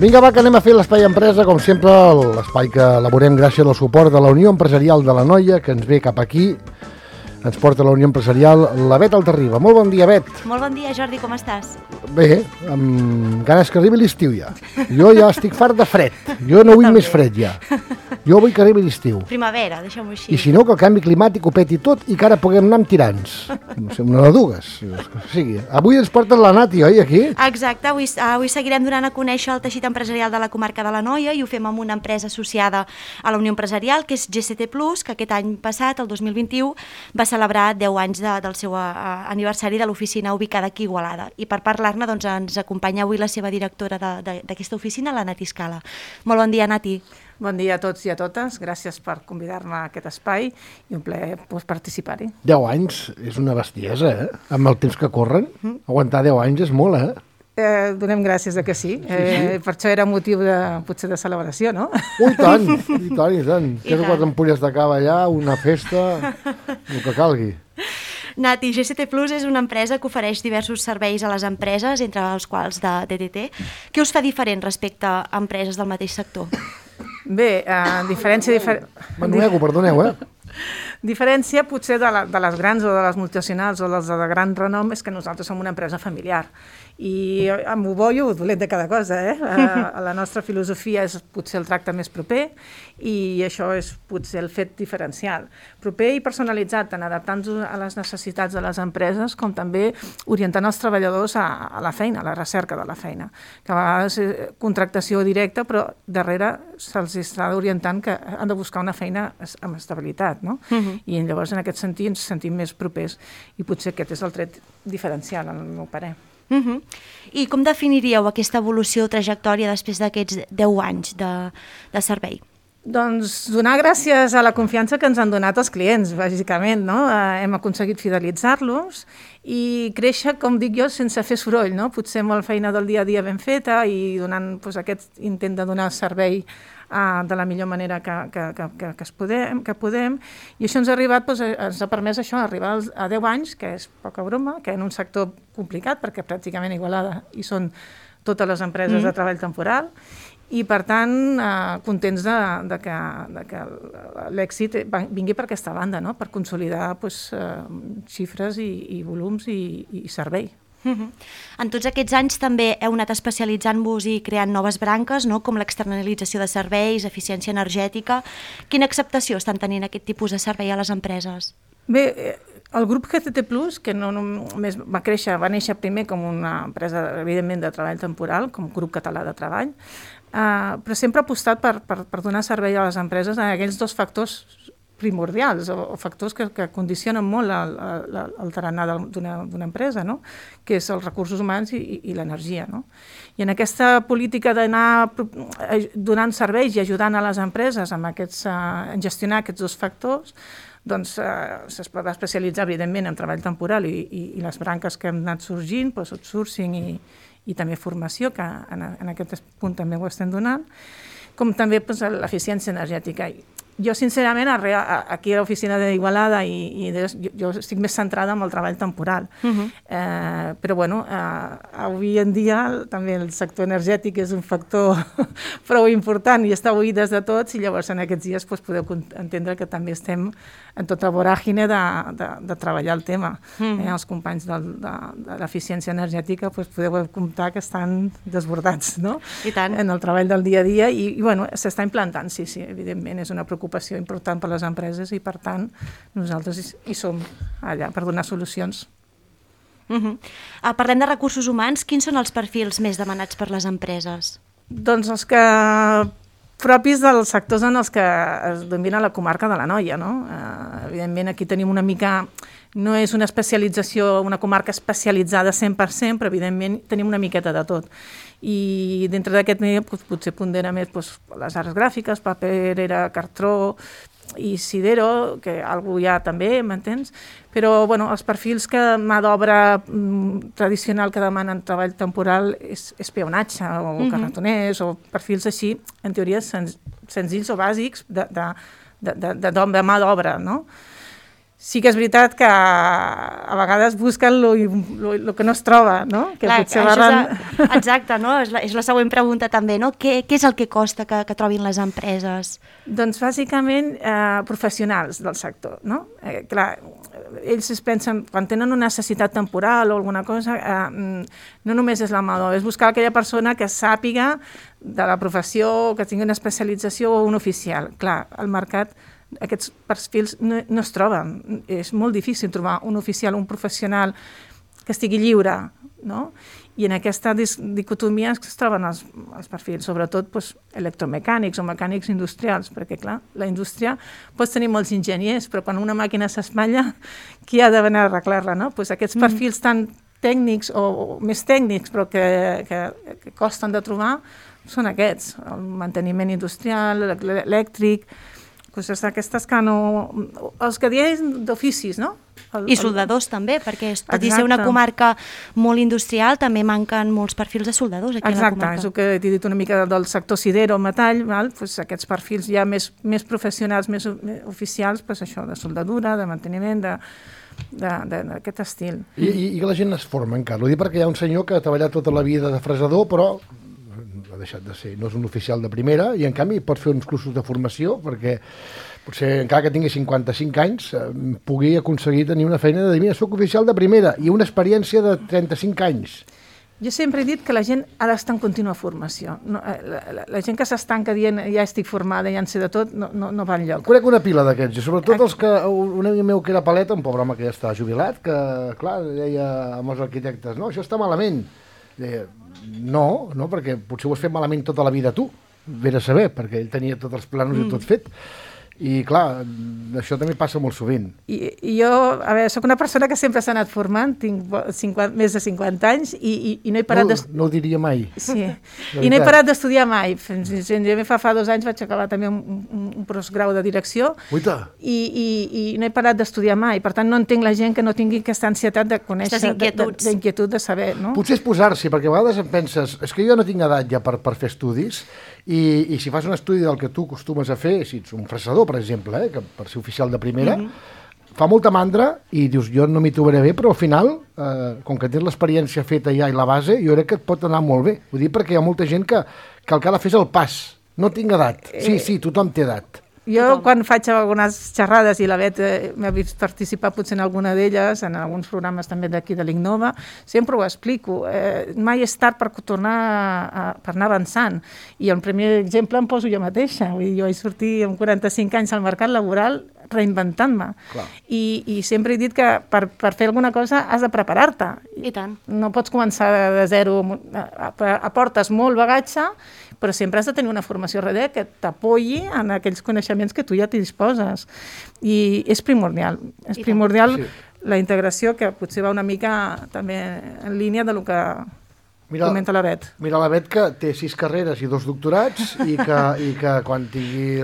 Vinga, va, que anem a fer l'Espai Empresa, com sempre, l'espai que elaborem gràcies al suport de la Unió Empresarial de l'Anoia, que ens ve cap aquí, ens porta la Unió Empresarial, la Bet Altarriba. Molt bon dia, Bet. Molt bon dia, Jordi, com estàs? Bé, amb ganes que arribi l'estiu ja. Jo ja estic fart de fred, jo no vull més fred ja. Jo vull que arribi l'estiu. Primavera, deixem-ho així. I si no, que el canvi climàtic ho peti tot i que ara puguem anar amb tirants. No sé, una de dues. O sigui, avui ens porten la Nati, oi, aquí? Exacte, avui seguirem donant a conèixer el teixit empresarial de la comarca de l'Anoia i ho fem amb una empresa associada a la Unió Empresarial, que és GCT+, que aquest any passat, el 2021, va celebrar 10 anys del seu aniversari de l'oficina ubicada aquí a Igualada. I per parlar-ne doncs, ens acompanya avui la seva directora d'aquesta oficina, la Nati Scala. Molt bon dia, Nati. Bon dia a tots i a totes, gràcies per convidar-me a aquest espai i un plaer participar-hi. 10 anys és una bestiesa, amb el temps que corren. Aguantar 10 anys és molt, Donem gràcies que sí. Per això era motiu potser de celebració, no? I tant, i tant, i tant. 3 o 4 ampolles de cava allà, una festa, el que calgui. Nati, GCT Plus és una empresa que ofereix diversos serveis a les empreses, entre els quals de DTT. Què us fa diferent respecte a empreses del mateix sector? Bé, diferència... Perdoneu, Diferència potser de les grans o de les multinacionals o les de gran renom és que nosaltres som una empresa familiar i amb ho bo i ho dolent de cada cosa. La nostra filosofia és potser el tracte més proper i això és potser el fet diferencial. Proper i personalitzat, tant adaptant-nos a les necessitats de les empreses com també orientant els treballadors a la feina, a la recerca de la feina. Que a vegades és contractació directa, però darrere se'ls està orientant que han de buscar una feina amb estabilitat, no? I llavors en aquest sentit ens sentim més propers i potser aquest és el tret diferencial, al meu parer. I com definiríeu aquesta evolució o trajectòria després d'aquests 10 anys de servei? Doncs donar gràcies a la confiança que ens han donat els clients, bàsicament, no? Hem aconseguit fidelitzar-los i créixer, com dic jo, sense fer soroll, no? Potser amb la feina del dia a dia ben feta i donant aquest intent de donar servei de la millor manera que podem, i això ens ha arribat, ens ha permès això, arribar a 10 anys, que és poca broma, que en un sector complicat, perquè pràcticament a Igualada hi són totes les empreses de treball temporal, i per tant contents de que l'èxit vingui per aquesta banda, no? Per consolidar xifres i volums i servei. En tots aquests anys també heu anat especialitzant-vos i creant noves branques, no? Com l'externalització de serveis, eficiència energètica. Quina acceptació estan tenint aquest tipus de servei a les empreses? Bé, el grup GCT+, que no només va néixer primer com una empresa, evidentment, de treball temporal, com grup català de treball, però sempre ha apostat per donar servei a les empreses en aquells dos factors primordials o factors que condicionen molt el tarannà d'una empresa, no? Que és els recursos humans i l'energia, no? I en aquesta política d'anar donant serveis i ajudant a les empreses a gestionar aquests dos factors, doncs es va especialitzar evidentment en treball temporal i les branques que han anat sorgint, outsourcing i també formació, que en aquest punt també ho estem donant, com també l'eficiència energètica. Jo, sincerament, aquí a l'oficina d'Igualada jo estic més centrada en el treball temporal. Però, bueno, avui en dia també el sector energètic és un factor prou important i està oït des de tots i llavors en aquests dies podeu entendre que també estem en tota voràgine de treballar el tema. Els companys de l'eficiència energètica podeu comptar que estan desbordats, no? I tant. En el treball del dia a dia i bueno, s'està implantant, sí, evidentment, és una preocupació important per a les empreses i per tant nosaltres hi som allà per donar solucions. Parlem de recursos humans, quins són els perfils més demanats per les empreses? Doncs els que propis dels sectors en els que es domina la comarca de l'Anoia, no? Evidentment aquí tenim una mica, no és una especialització, una comarca especialitzada 100%, però evidentment tenim una miqueta de tot. I dintre d'aquest medio potser pondera més les arts gràfiques, paperera, cartró i sidero, que algú hi ha també, m'entens? Però bueno, els perfils que mà d'obra tradicional que demanen treball temporal és peonatge o carretoners o perfils així, en teoria senzills o bàsics de mà d'obra, no? sí que és veritat que a vegades busquen el que no es troba, no? Que clar, potser barren... exacte, no? És la següent pregunta també, no? Què és el que costa que trobin les empreses? Doncs bàsicament professionals del sector, no? Clar, ells es pensen, quan tenen una necessitat temporal o alguna cosa, no només és la mà d'obra, és buscar aquella persona que sàpiga de la professió, que tingui una especialització o un oficial. Clar, al mercat aquests perfils no es troben. És molt difícil trobar un oficial, un professional que estigui lliure, no? I en aquesta dicotomia es troben els perfils, sobretot electromecànics o mecànics industrials, perquè clar, la indústria pots tenir molts enginyers, però quan una màquina s'espatlla, qui ha de venir a arreglar-la, no? Aquests perfils tan tècnics o més tècnics, però que costen de trobar, són aquests, el manteniment industrial, elèctric, coses d'aquestes que no... Els que diem d'oficis, no? I soldadors també, perquè tot i ser una comarca molt industrial, també manquen molts perfils de soldadors aquí a la comarca. Exacte, és el que t'he dit una mica del sector sider o metall, aquests perfils ja més professionals, més oficials, això, de soldadura, de manteniment, d'aquest estil. I que la gent es forma encara. Ho dic perquè hi ha un senyor que ha treballat tota la vida de fresador, però ha deixat de ser, no és un oficial de primera, i en canvi pot fer uns cursos de formació perquè potser encara que tingui 55 anys pugui aconseguir tenir una feina de dir, mira, soc oficial de primera i una experiència de 35 anys. Jo sempre he dit que la gent ha d'estar en contínua formació. La gent que s'estanca dient ja estic formada, ja en sé de tot, no va enlloc. Conec una pila d'aquests, i sobretot els que, un amic meu que era paleta, un pobre home que ja està jubilat, que clar, deia amb els arquitectes, no, això està malament. Deia, no, perquè potser ho has fet malament tota la vida tu, ve a saber, perquè ell tenia tots els planos i tot fet. I clar, això també passa molt sovint. I jo, a veure, soc una persona que sempre s'ha anat formant, tinc més de 50 anys i no he parat d'estudiar. No ho diria mai. Sí, i no he parat d'estudiar mai. Fa 2 anys vaig acabar també un postgrau de direcció i no he parat d'estudiar mai. Per tant, no entenc la gent que no tingui aquesta ansietat de conèixer, d'inquietud, de saber. No? Potser és posar-s'hi, perquè a vegades em penses, és que jo no tinc edat ja per fer estudis, i si fas un estudi del que tu acostumes a fer, si ets un fresador, per exemple, que per ser oficial de primera, fa molta mandra i dius, jo no m'hi trobaré bé, però al final, com que tens l'experiència feta ja i la base, jo crec que et pot anar molt bé. Ho dic perquè hi ha molta gent que el que ha de fer és el pas. No tinc edat. Sí, tothom té edat. Jo, quan faig algunes xerrades, i la Bet m'ha vist participar potser en alguna d'elles, en alguns programes també d'aquí de l'Innova, sempre ho explico. Mai és tard per tornar per anar avançant. I el primer exemple em poso jo mateixa. Vull dir, jo vaig sortir amb 45 anys al mercat laboral reinventant-me. I sempre he dit que per fer alguna cosa has de preparar-te. I tant. No pots començar de zero. Aportes molt bagatge, però sempre has de tenir una formació darrere que t'apoyi en aquells coneixements que tu ja t'hi disposes. I és primordial. És primordial la integració, que potser va una mica també en línia de lo que comenta la Bet. Mira, la Bet que té 6 carreres i 2 doctorats i que quan tingui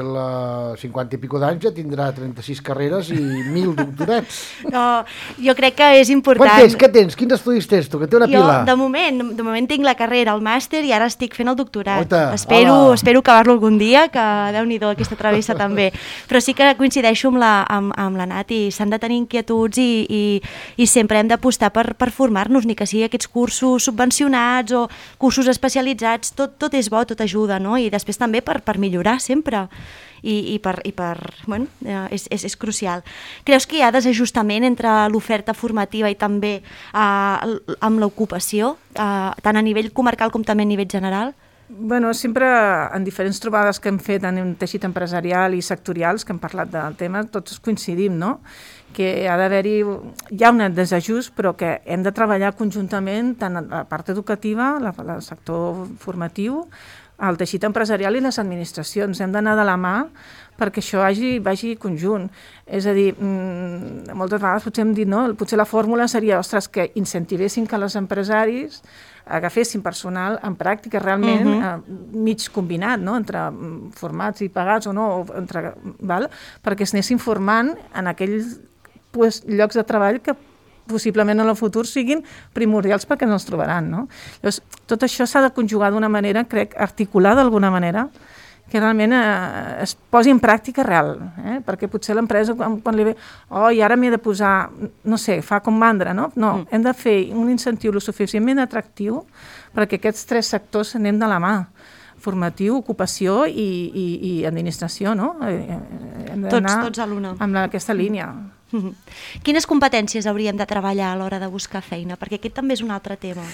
50 i pico d'anys ja tindrà 36 carreres i 1.000 doctorats. No, jo crec que és important. Quant tens? Què tens? Quins estudis tens tu? Que té una pila. Jo, de moment tinc la carrera, el màster, i ara estic fent el doctorat. Espero acabar-lo algun dia, que Déu-n'hi-do aquesta travessa també. Però sí que coincideixo amb la Nat, i s'han de tenir inquietuds i sempre hem d'apostar per formar-nos, ni que sigui aquests cursos subvencionats o cursos especialitzats, tot és bo, tot ajuda, no? I després també per millorar sempre. Bueno, és crucial. Creus que hi ha desajustament entre l'oferta formativa i també amb l'ocupació, tant a nivell comarcal com també a nivell general? Bueno, sempre en diferents trobades que hem fet en teixit empresarial i sectorials, que hem parlat del tema, tots coincidim, no? Que ha d'haver-hi, hi ha un desajust, però que hem de treballar conjuntament tant la part educativa, el sector formatiu, el teixit empresarial i les administracions. Hem d'anar de la mà perquè això vagi conjunt. És a dir, moltes vegades potser hem dit, no? Potser la fórmula seria, ostres, que incentivessin que els empresaris agafessin personal en pràctica realment mig combinat, no? Entre formats i pagats o no, perquè es anessin formant en aquells llocs de treball que possiblement en el futur siguin primordials perquè no els trobaran, no? Llavors, tot això s'ha de conjugar d'una manera, crec, articular d'alguna manera, que realment es posi en pràctica real, perquè potser l'empresa quan li ve, i ara m'he de posar, no sé, fa com mandra, no? No, hem de fer un incentiu lo suficientment atractiu perquè aquests 3 sectors anem de la mà, formatiu, ocupació i administració, no? Tots a l'una. Amb aquesta línia. Quines competències hauríem de treballar a l'hora de buscar feina? Perquè aquest també és un altre tema.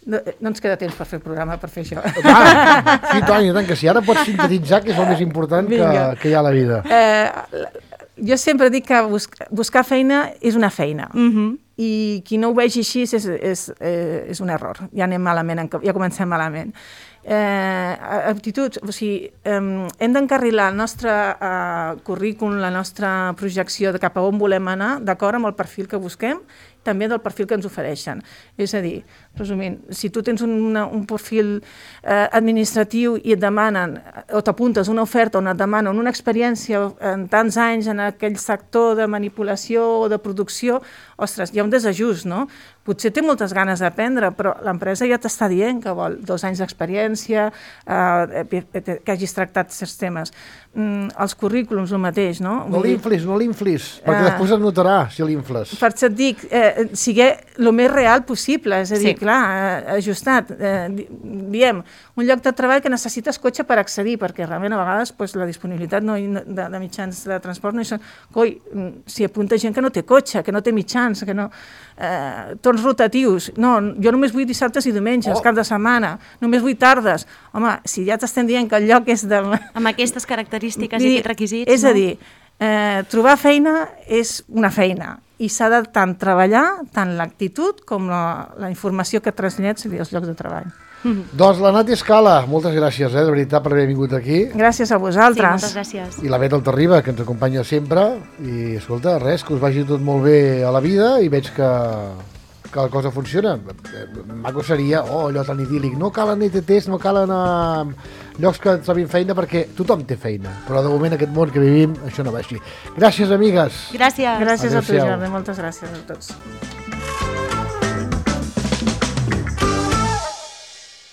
No ens queda temps per fer el programa, per fer això. Sí, Toni, que si ara pots sintetitzar, que és el més important que hi ha a la vida. Jo sempre dic que buscar feina és una feina. I qui no ho vegi així és un error. Ja anem malament, ja comencem malament. Aptituds, o sigui, hem d'encarrilar el nostre currículum, la nostra projecció de cap a on volem anar, d'acord amb el perfil que busquem, també del perfil que ens ofereixen. És a dir, resumint, si tu tens un perfil administratiu i et demanen, o t'apuntes una oferta on et demanen una experiència en tants anys en aquell sector de manipulació o de producció, ostres, hi ha un desajust, no? Potser té moltes ganes d'aprendre, però l'empresa ja t'està dient que vol 2 anys d'experiència, que hagis tractat certs temes. Els currículums, el mateix, no? No l'inflis, perquè després es notarà si l'infles. Per això et dic, siguer el més real possible, és a dir, clar, ajustat. Diem, un lloc de treball que necessites cotxe per accedir, perquè realment a vegades la disponibilitat de mitjans de transport no hi són. Coi, s'hi apunta gent que no té cotxe, que no té mitjans, que no... torns rotatius. No, jo només vull dissabtes i diumenges, cap de setmana, només vull tardes. Home, si ja t'estem dient que el lloc és de... Amb aquestes característiques i aquests requisits, és a dir, trobar feina és una feina i s'ha de tant treballar, tant l'actitud com la informació que traslladis als llocs de treball. Doncs la Nati Scala, moltes gràcies, de veritat, per haver vingut aquí. Gràcies a vosaltres. Sí, moltes gràcies. I la Bet Altarriba, que ens acompanya sempre. I, escolta, res, que us vagi tot molt bé a la vida i veig que la cosa funciona. Maco seria, allò tan idíl·lic, no calen ETTs, no calen llocs que trobin feina, perquè tothom té feina. Però de moment aquest món que vivim, això no va així. Gràcies, amigues. Gràcies. Gràcies a tu, Jordi, moltes gràcies a tots.